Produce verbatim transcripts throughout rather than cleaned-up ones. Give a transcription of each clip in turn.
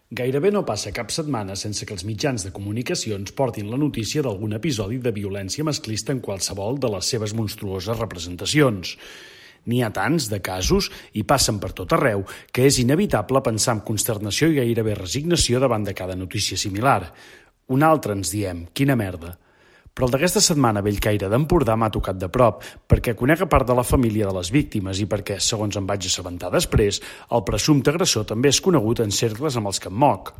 Gairebé no passa cap setmana sense que els mitjans de comunicació ens portin la notícia d'algun episodi de violència masclista en qualsevol de les seves monstruoses representacions. N'hi ha tants de casos, i passen per tot arreu, que és inevitable pensar amb consternació i gairebé resignació davant de cada notícia similar. Un altre ens diem, quina merda. Però el d'aquesta setmana a Bellcaire d'Empordà m'ha tocat de prop, perquè conec a part de la família de les víctimes i perquè, segons em vaig assabentar després, el presumpte agressor també és conegut en cercles amb els que em moc.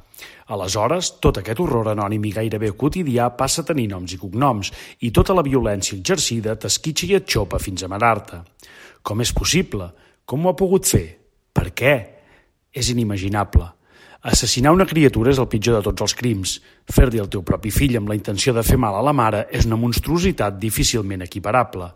Aleshores, tot aquest horror anònim i gairebé quotidià passa a tenir noms i cognoms, i tota la violència exercida t'esquitxa i et xopa fins a marar-te. Com és possible? Com ho ha pogut fer? Per què? És inimaginable. Assassinar una criatura és el pitjor de tots els crims. Fer-li el teu propi fill amb la intenció de fer mal a la mare és una monstruositat difícilment equiparable.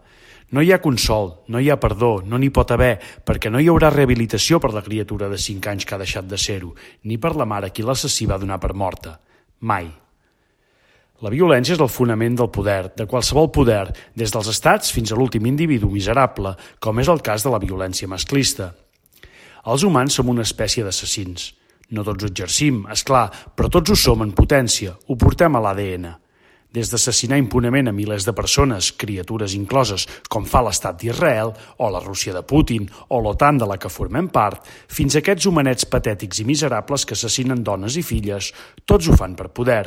No hi ha consol, no hi ha perdó, no n'hi pot haver, perquè no hi haurà rehabilitació per la criatura de cinc anys que ha deixat de ser-ho, ni per la mare qui l'assassí va donar per morta. Mai. La violència és el fonament del poder, de qualsevol poder, des dels estats fins a l'últim individu miserable, com és el cas de la violència masclista. Els humans som una espècie d'assassins. No tots ho exercim, és clar, però tots ho som en potència, ho portem a l'A D N. Des d'assassinar impunement a milers de persones, criatures incloses, com fa l'estat d'Israel, o la Rússia de Putin, o l'OTAN de la que formem part, fins a aquests homenets patètics i miserables que assassinen dones i filles, tots ho fan per poder.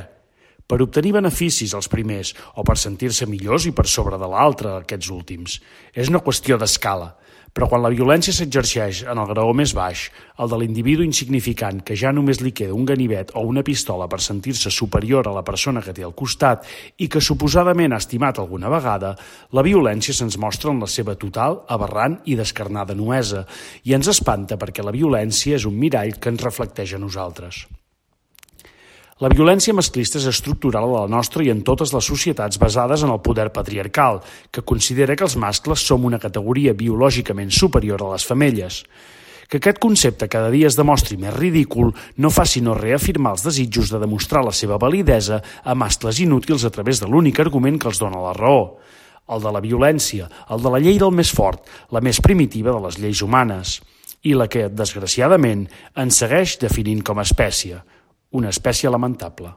Per obtenir beneficis els primers, o per sentir-se millors i per sobre de l'altre aquests últims. És una qüestió d'escala. Però quan la violència s'exerceix en el graó més baix, el de l'individu insignificant que ja només li queda un ganivet o una pistola per sentir-se superior a la persona que té al costat i que suposadament ha estimat alguna vegada, la violència se'ns mostra en la seva total, aberrant i descarnada nuesa, i ens espanta perquè la violència és un mirall que ens reflecteix a nosaltres. La violència masclista és estructural a la nostra i en totes les societats basades en el poder patriarcal, que considera que els mascles som una categoria biològicament superior a les femelles. Que aquest concepte cada dia es demostri més ridícul no fa sinó reafirmar els desitjos de demostrar la seva validesa a mascles inútils a través de l'únic argument que els dona la raó. El de la violència, el de la llei del més fort, la més primitiva de les lleis humanes, i la que, desgraciadament, ens segueix definint com a espècie. Una espècie lamentable.